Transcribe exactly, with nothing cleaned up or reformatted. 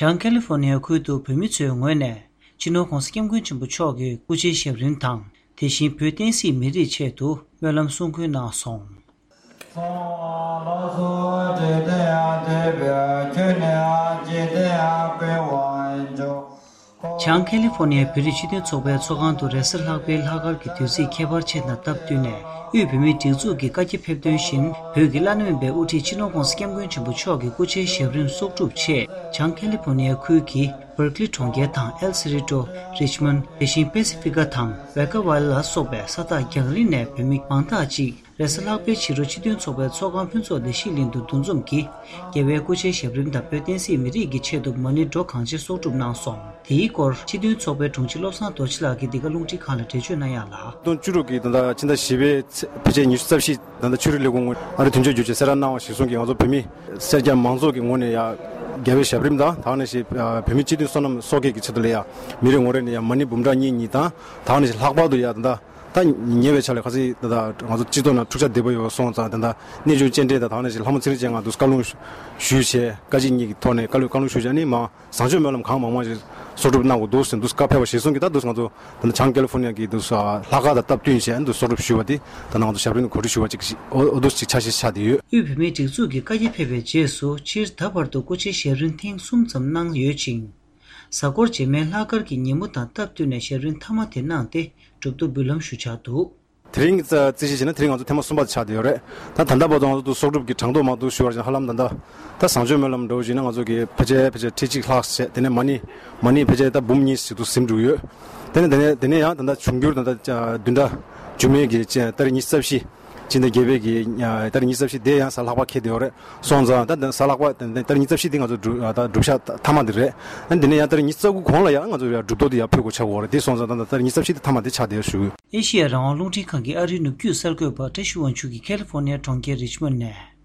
བྱང་ཁ་ལི་ཧྥོར་ནི་ཡ་ཁུལ་དུ་བོད་མི་ཚོའི་ངོས་ནས་སྤྱི་ནོར་༧གོང་ས་༧སྐྱབས་མགོན་ཆེན་པོ་མཆོག་གི་སྐུ་ཕྱྭའི་ཞབས་རིམ་དང་། དེ་བཞིན་བོད་བསྟན་སྲིད་མི་རིགས་ཆེད་དུ་སྨོན་ལམ་གསུང་འབུལ་གནང་སོང་། བྱང་ཁ་ལི་ཧྥོར་ནི་ཡའི་བོད་རིགས་སྤྱི་མཐུན་ཚོགས་པའི་ཚོགས་ཁང་དུ་རེས་གཟའ་ལྷག་པའི་ལྷག་དཀར་གྱི་དུས་ཚིགས་ཁྱད་པར་ཅན་དང་སྟབས་བསྟུན་ནས། དབུས་བོད་མིའི་སྒྲིག་འཛུགས་ཀྱི་བཀའ་རྒྱ་ཕེབས་དོན་བཞིན། བོད་ཀྱི་བླ་ན་མེད་པའི་དབུ་ཁྲིད་སྤྱི་ནོར་༧གོང་ས་༧སྐྱབས་མགོན་ཆེན་པོ་མཆོག་གི་སྐུ་ཕྱྭའི་ཞབས་རིམ་གསོག་སྒྲུབ་ཆེད། བྱང་ཁ་ལི་ཧྥོར་ནི་ཡ་ཁུལ་གྱི་བར་ཀི་ལི་གྲོང་ཁྱེར་དང་ཨེལ་སེ་རི་ཏོ། རིཆ་མོན་དེ་བཞིན་པེ་སི་ཕི་ཀ་དང་ཝེ་ཀ་ཝལ་ལ་སོགས་པའི་ས་ཐག་རྒྱང་རིང་ནས་བོད་མི་མང་དག་ཅིག་རེས་གཟའ་ལྷག་པའི་ཕྱི་དྲོ་སྤྱི་མཐུན་ཚོགས་པའི་ཚོགས་ཁང་ཕུན་ཚོགས་བདེ་སྐྱིད་གླིང་དུ་འདུ་འཛོམས་ཀྱིས། རྒྱལ་བའི་སྐུ་ཕྱྭའི་ཞབས་རིམ་དང་བོད་བསྟན་སྲིད་མི་རིགས་ཀྱི་ཆེད་དུ་མ་ཎི་སྒྲོག་གང་ཆེ་གསོག་སྒྲུབ་གནང་སོང་། དེའི་སྐོར་སྤྱི་མཐུན་ཚོགས་པའི་དྲུང་ཆེ་བློ་བཟང་རྡོ་རྗེ་ལགས་ཀྱིས་འདི་ག་རླུང་འཕྲིན་ཁང་ལ་འགྲེལ་བརྗོད་གནང་ཡག་ལ། སྟོང་བཅུ་དྲུག་གི་ད་ལྟ་ཕྱི་ཟླ་བཞི་པའི་ཚེས་ཕལ་ཆེར་ཉི་ཤུ་རྩ་བཞི། ད་ལྟ་ཆོས་རིག་ལས་ཁུངས་ངོས་ཨ་རི་དོན་གཅོད་རྒྱུགས་ཆེན་གསལ་བསྒྲགས་གནང་བ་གཞིར་བཟུང་གིས། ང་ཚོ་བོད་མི་སེར་སྐྱ་མང་ཚོགས་ཀྱི་ངོས་ནས་ཡ་རྒྱལ་བའི་ཞབས་རིམ་དང་། ད་ག་ནང་བཞིན་བོད་མི་སྤྱི་མཐུན་བསོད་ནམས་གསོག་སྐྱེལ་གྱི་ཆེད་དུ་ལ་ཡ་མི་རེ་ངོ་རེ་ནས་ཡ་མ་ཎི་འབུམ་ཕྲག་གཉིས་གཉིས་དང་། ད་ག་ནང་བཞིན་ལྷག་པར་དུ་ཡ་ད་ལྟ་ད་ཉེ་བའི་ཆར་ལ་ག་ཚོད་ད་ལྟ་ང་ཚོ་སྤྱི་ཚོགས་ནང་འཁྲུག་ཆ་དོད་པོ་ཡོད་སོང་ཙང་། ད་ལྟ་གནས་ཆུང་སྤྱན་འདྲེན་དང་། ད་ག་ནང་བཞིན་ལྷ་མོ་ཚེ་རིང་ཅན་ང་འདུག་བཀའ་ལུང་ཞུས་བྱས། བཀའ་སྤྱི་གཉིས་ཀྱི་ཐོག་ནས་བཀའ་ལུང་བཀའ་ལུང་ཞུས་བྱས་ནི་མ། བཟང་སྤྱོད་སྨོན་ལམ་གང་མང་མང་ཞིག་གསོག་སྒྲུབ་གནང་དགོས་འདུག་ཟེར་འདུག་བཀའ་ཕེབས་པ་གཞིར་བཟུང་གིས། ད་འདུག་ང་ཚོ་ད་ལྟ་བྱང་ཀ་ལི་ཧྥོར་ནི་ཡ་གི་འདུག་ལྷག་དཀར་དང་སྟབས་བསྟུན་བྱས་འདུག་གསོག་སྒྲུབ་ཞུས་པ་དེ། ད་ནང་དུ་ཞབས་རིམ་གོ་སྒྲིག་ཞུ་བ་ཅིག་ཞིག་འོ་འོ་འདུག་ཅིག་ཆ་ཤས་ཆགས་བསྡད་ཡོད། དབུས་བོད་མིའི་སྒྲིག་འཛུགས་ཀྱི་བཀའ་རྒྱ་ཕེབས་པའི་རྗེས་སུ། སྤྱིར་ད་བར་དུ་སྐུ་ཕྱྭའི་ཞབས་རིམ་ཐེངས་གསུམ་ཙམ་གནང་ཡོད་ཅིང་། གཟའ་འཁོར་རྗེས་མའི་ལྷག་དཀར་གྱི་ཉིན་མོ་དང་སྟབས་བསྟུན་ནས་ཞབས་རིམ་མཐའ་མ་དེ་གནང་སྟེ། གྲུབ་ཐོབ་འབུལ་ལམ་ཞུ་འཆར་འདུག་དེ་རིང་རྩིས་གཞི་བྱས་ན་དེ་རིང་ང་ཚོ་ཐེངས་མ་གསུམ་པ་ཆགས་བསྡད་ཡོད་རེད། ད་ད་ལྟ་བར་དུ་ང་ཚོ་འདུག་གསོག་སྒྲུབ་ཀྱི་གྲངས་ཐོ་མ་འདུག་ཞུ་བར་བྱས་ན། ཧ་ལམ་ད་ལྟ་ད་བཟང་སྤྱོད་སྨོན་ལམ་འདྲ་བོ་ཞིག་ན་ང་ཚོ་གི་ཕལ་ཆེར་ཕལ་ཆེར་ཁྲི་གཅིག་ལྷག་བྱས། དེ་ནས་མ་ཎི་མ་ཎི་ཕལ་ཆེར་ད་འབུམ་གཉིས་ཞིག་ཏུ་ཟིན་འགྲོ་ཡོད། དེ་ནས་དེ་ནས་དེ་ནས་ཡང་ད་ལྟ་འབྱུང་འགྱུར་ད་ལྟ་བདུན་ཕྲག་མཇུག་མའི་གི་ཏ་རིག་ཉི་ཤུ་རྩ་བཞི། སྤྱི་ཟླ་བརྒྱད་པའི་གི་ཏ་རིག་ཉི་ཤུ་རྩ་བཞི་དེ་ཡང་གཟའ་ལྷག་པ་འཁེལ་བསྡད་ཡོད་རེད། སོང་ཙང་ད་ད་གཟའ་ལྷག་པ་ད་ད་ཏ་རིག་ཉི་ཤུ་རྩ་བཞི་དེ་ང་ཚོ་སྒྲུབ་ད་སྒྲུབ་ཞག་མཐའ་མ་དེ་རེད། ཨ་ནི་དེ་ནས་ཡང་ཏ་རིག་ཉི་ཤུ་རྩ་དགུ་གོང་ལ་ཡང་ང་ཚོ་ཡང་སྒྲུབ་ཐོ་དེ་ཡང་ཕུལ་དགོས་ཆགས་ཀྱི་ཡོད་རེད། དེ་སོང་ཙང་ད་ད་ཏ་རིག་ཉི་ཤུ་རྩ་བཞི་དེ་མཐའ་མ་དེ་ཆགས་བསྡད་ཡོད་ཞུ་གི་ཡོད། ཨེ་ཤི་ཡ་རང་དབང་རླུང་འཕྲིན་ཁང་གི་ཨ་རིའི་ནུབ་རྒྱུད་གསར་འགོད་པ་བཀྲ་ཤིས་དབང་ཕྱུག་གིས་ཁ་ལི་ཧྥོར་ནི་ཡའི་གྲོང་ཁྱེར་རིཆ་མོན་ནས།